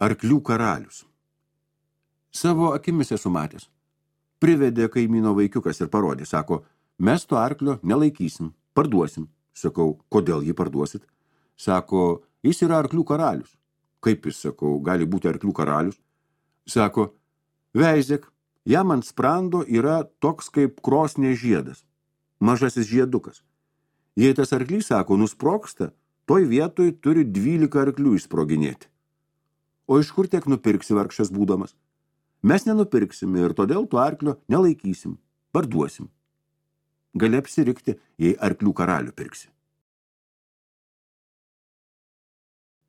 Arklių karalius. Savo akimis esu matęs. Privedė kaimyno vaikiukas ir parodė, sako, mes to arklio nelaikysim, parduosim. Sakau, kodėl jį parduosit? Sako, jis yra arklių karalius. Kaip jis, sakau, gali būti arklių karalius? Sako, veizėk, jam ant sprando yra toks kaip krosnė žiedas, mažasis žiedukas. Jei tas arklys, sako, nusprogsta, toj vietoj turi 12 arklių išsproginėti. O iš kur tiek nupirksi vargšas būdamas? Mes nenupirksime ir todėl to arklio nelaikysim, parduosim. Gali apsirikti, jei arklių karalių pirksi.